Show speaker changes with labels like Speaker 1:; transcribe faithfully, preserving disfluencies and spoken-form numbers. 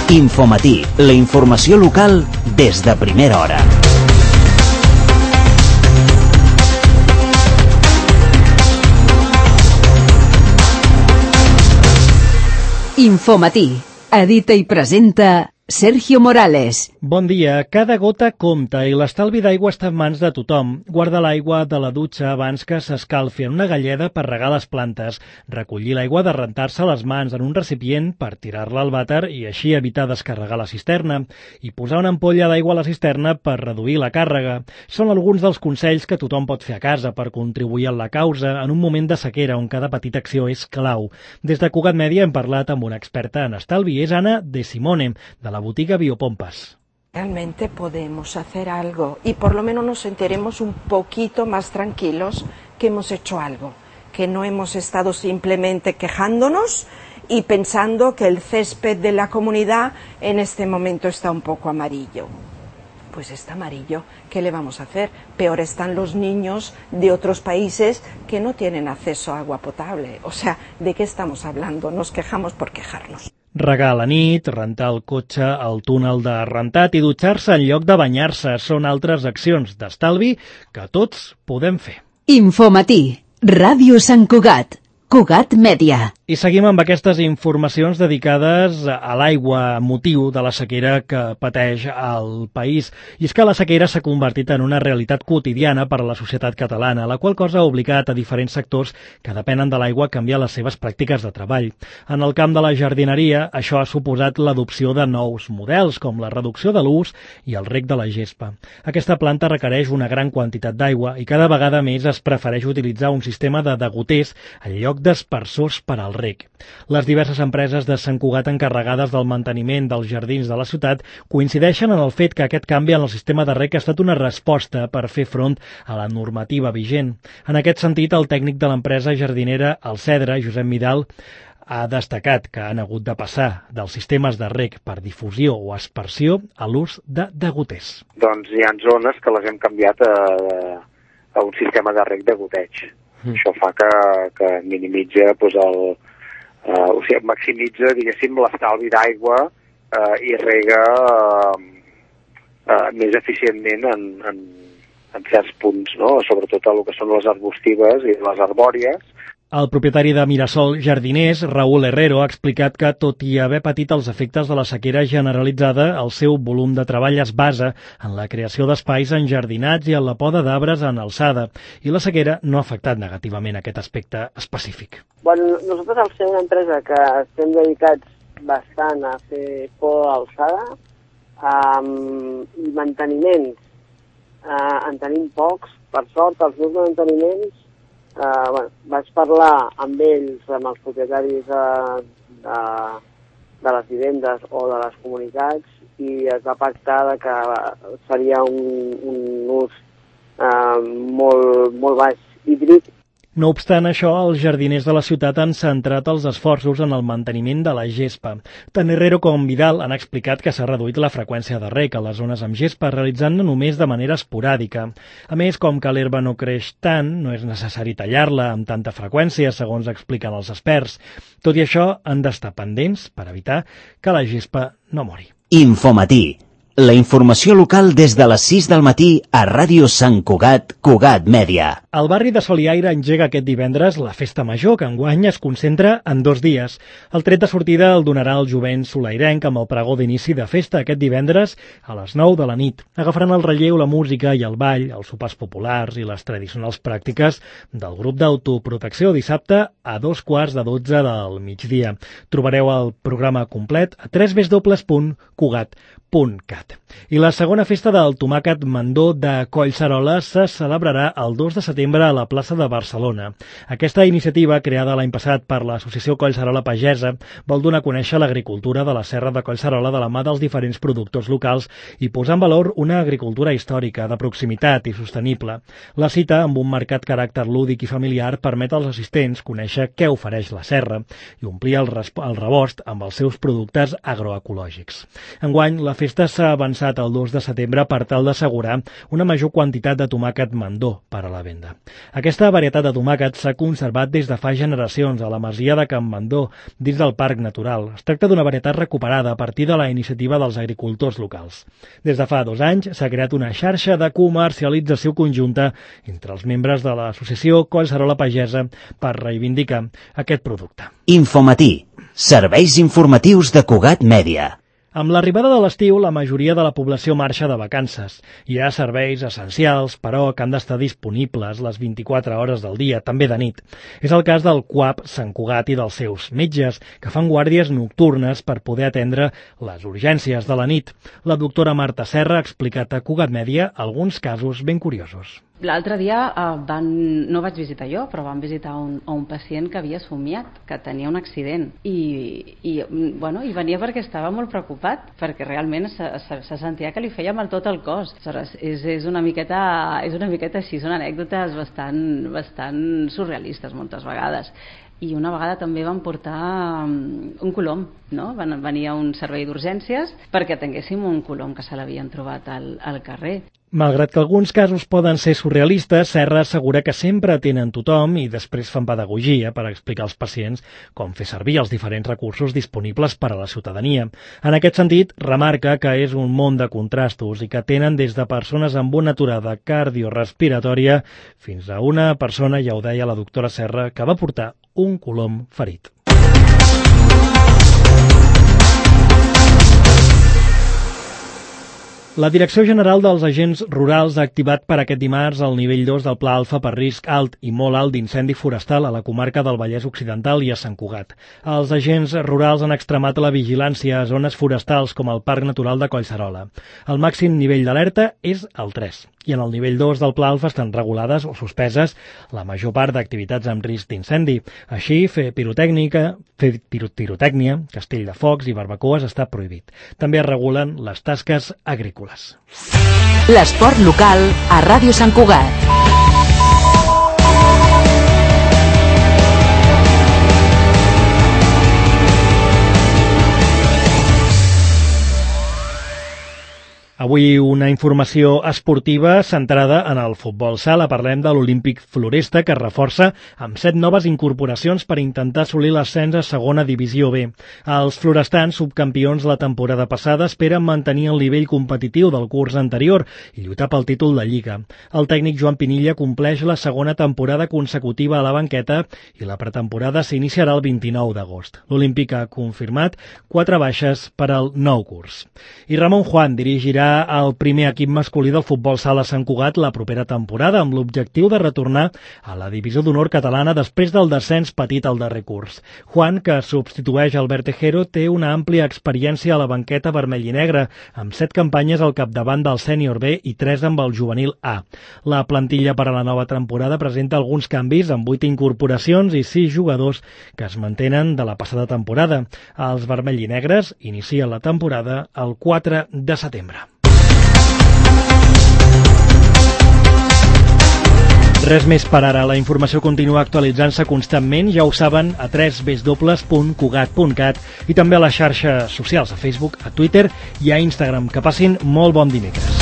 Speaker 1: Infomatí, la informació local des de primera hora.
Speaker 2: Infomatí, edita i presenta Sergio Morales.
Speaker 3: Bon dia. Cada gota compta i l'estalvi d'aigua està en mans de tothom. Guarda l'aigua de la dutxa abans que s'escalfi en una galleda per regar les plantes, recollir l'aigua de rentar-se les mans en un recipient per tirar-la al vàter i així evitar descarregar la cisterna, i posar una ampolla d'aigua a la cisterna per reduir la càrrega. Són alguns dels consells que tothom pot fer a casa per contribuir a la causa en un moment de sequera on cada petita acció és clau. Des de Cugat Mèdia hem parlat amb una experta en estalvi, és Anna De Simone, de la la botiga Biopompas.
Speaker 4: Realmente podemos hacer algo y por lo menos nos sentiremos un poquito más tranquilos que hemos hecho algo, que no hemos estado simplemente quejándonos y pensando que el césped de la comunidad en este momento está un poco amarillo. Pues está amarillo, ¿qué le vamos a hacer? Peor están los niños de otros países que no tienen acceso a agua potable. O sea, ¿de qué estamos hablando? Nos quejamos por quejarnos.
Speaker 3: Regar a la nit, rentar el cotxe al túnel de rentat i dutxar-se en lloc de banyar-se són altres accions d'estalvi que tots podem fer.
Speaker 2: Infomatí, Ràdio Sant Cugat, Cugat Mèdia.
Speaker 3: I seguim amb aquestes informacions dedicades a l'aigua, motiu de la sequera que pateix el país. I és que la sequera s'ha convertit en una realitat quotidiana per a la societat catalana, la qual cosa ha obligat a diferents sectors que depenen de l'aigua a canviar les seves pràctiques de treball. En el camp de la jardineria, això ha suposat l'adopció de nous models, com la reducció de l'ús i el reg de la gespa. Aquesta planta requereix una gran quantitat d'aigua i cada vegada més es prefereix utilitzar un sistema de degoters en lloc d'espersors per al reg. Les diverses empreses de Sant Cugat encarregades del manteniment dels jardins de la ciutat coincideixen en el fet que aquest canvi en el sistema de reg ha estat una resposta per fer front a la normativa vigent. En aquest sentit, el tècnic de l'empresa jardinera El Cedre, Josep Midal, ha destacat que han hagut de passar dels sistemes de reg per difusió o aspersió a l'ús de degoters.
Speaker 5: Doncs hi ha zones que les hem canviat a, a un sistema de reg de goteig. Mm. Això fa que, que minimitza doncs, el, uh, o sigui, maximitza, diguéssim, l'estalvi d'aigua uh, i rega uh, uh, més eficientment en, en, en certs punts, no? Sobretot el que són les arbustives i les arbòries.
Speaker 3: El propietari de Mirasol Jardiners, Raúl Herrero, ha explicat que, tot i haver patit els efectes de la sequera generalitzada, el seu volum de treball es basa en la creació d'espais enjardinats i en la poda d'arbres en alçada, i la sequera no ha afectat negativament aquest aspecte específic.
Speaker 6: Bueno, nosaltres, al ser una empresa que estem dedicats bastant a fer poda d'alçada, um, i manteniments, uh, en tenim pocs, per sort, els meus manteniments, Uh, bueno, vaig parlar amb ells, amb els propietaris de, de, de les vivendes o de les comunitats, i es va pactar de que seria un, un ús uh, molt, molt baix hídric.
Speaker 3: No obstant això, els jardiners de la ciutat han centrat els esforços en el manteniment de la gespa. Tant Herrero com Vidal han explicat que s'ha reduït la freqüència de reg a les zones amb gespa, realitzant-ne només de manera esporàdica. A més, com que l'herba no creix tant, no és necessari tallar-la amb tanta freqüència, segons expliquen els experts. Tot i això, han d'estar pendents per evitar que la gespa no mori.
Speaker 1: Infomatí, la informació local des de les sis del matí a Ràdio Sant Cugat, Cugat Mèdia.
Speaker 3: El barri de Soliaire engega aquest divendres la festa major, que enguany es concentra en dos dies. El tret de sortida el donarà el jovent solairenc amb el pregó d'inici de festa aquest divendres a les nou de la nit. Agafaran el relleu la música i el ball, els sopars populars i les tradicionals pràctiques del grup d'autoprotecció dissabte a dos quarts de dotze del migdia. Trobareu el programa complet a w w w punt cugat punt cat. I la segona festa del tomàquet mandó de Collserola se celebrarà el dos de setembre a la plaça de Barcelona. Aquesta iniciativa, creada l'any passat per l'associació Collserola Pagesa, vol donar a conèixer l'agricultura de la serra de Collserola de la mà dels diferents productors locals i posar en valor una agricultura històrica, de proximitat i sostenible. La cita, amb un marcat caràcter lúdic i familiar, permet als assistents conèixer què ofereix la serra i omplir el, el rebost amb els seus productes agroecològics. Enguany, la festa festa s'ha avançat el dos de setembre per tal d'assegurar una major quantitat de tomàquet mandó per a la venda. Aquesta varietat de tomàquet s'ha conservat des de fa generacions a la masia de Can Mandó, dins del Parc Natural. Es tracta d'una varietat recuperada a partir de la iniciativa dels agricultors locals. Des de fa dos anys s'ha creat una xarxa de comercialització conjunta entre els membres de l'associació Collserola Pagesa per reivindicar aquest producte.
Speaker 1: Infomatí. Serveis informatius de Cugat Mèdia.
Speaker 3: Amb l'arribada de l'estiu, la majoria de la població marxa de vacances. Hi ha serveis essencials, però, que han d'estar disponibles les vint-i-quatre hores del dia, també de nit. És el cas del C U A P Sant Cugat i dels seus metges, que fan guàrdies nocturnes per poder atendre les urgències de la nit. La doctora Marta Serra ha explicat a Cugat Mèdia alguns casos ben curiosos.
Speaker 7: L'altre dia eh, van, no vaig visitar jo, però vam visitar un, un pacient que havia somiat, que tenia un accident. I, i, bueno, i venia perquè estava molt preocupat, perquè realment se, se, se sentia que li feia mal tot el cos. Aleshores, és, és, una miqueta, és una miqueta així, són anècdotes bastant, bastant surrealistes moltes vegades. I una vegada també van portar un colom, no? Van venir a un servei d'urgències perquè tinguéssim un colom que se l'havien trobat al, al carrer.
Speaker 3: Malgrat que alguns casos poden ser surrealistes, Serra assegura que sempre atenen tothom i després fan pedagogia per explicar als pacients com fer servir els diferents recursos disponibles per a la ciutadania. En aquest sentit, remarca que és un món de contrastos i que tenen des de persones amb una aturada cardiorespiratòria fins a una persona, ja ho deia la doctora Serra, que va portar un colom ferit. La Direcció General dels Agents Rurals ha activat per aquest dimarts el nivell dos del Pla Alfa per risc alt i molt alt d'incendi forestal a la comarca del Vallès Occidental i a Sant Cugat. Els agents rurals han extremat la vigilància a zones forestals com el Parc Natural de Collserola. El màxim nivell d'alerta és el tres. I en el nivell dos del Pla Alfa estan regulades o suspeses la major part d'activitats amb risc d'incendi. Així, fer pirotècnica, fer pirotècnia, castell de focs i barbacoes està prohibit. També es regulen les tasques agrícoles.
Speaker 2: L'esport local a Ràdio Sant Cugat.
Speaker 3: Avui una informació esportiva centrada en el futbol sala. Parlem de l'Olímpic Floresta, que es reforça amb set noves incorporacions per intentar assolir l'ascens a segona divisió B. Els florestans, subcampions la temporada passada, esperen mantenir el nivell competitiu del curs anterior i lluitar pel títol de Lliga. El tècnic Joan Pinilla compleix la segona temporada consecutiva a la banqueta i la pretemporada s'iniciarà el vint-i-nou d'agost. L'Olímpic ha confirmat quatre baixes per al nou curs. I Ramon Juan dirigirà el primer equip masculí del futbol sala Sant Cugat la propera temporada, amb l'objectiu de retornar a la divisió d'honor catalana després del descens patit al darrer curs. Juan, que substitueix Albert Tejero, té una àmplia experiència a la banqueta vermell i negra, amb set campanyes al capdavant del sènior B i tres amb el juvenil A. La plantilla per a la nova temporada presenta alguns canvis, amb vuit incorporacions i sis jugadors que es mantenen de la passada temporada. Els vermell i negres inicien la temporada el quatre de setembre. Res més per ara. La informació continua actualitzant-se constantment, ja ho saben, a w w w punt cugat punt cat i també a les xarxes socials, a Facebook, a Twitter i a Instagram. Que passin molt bon dimecres.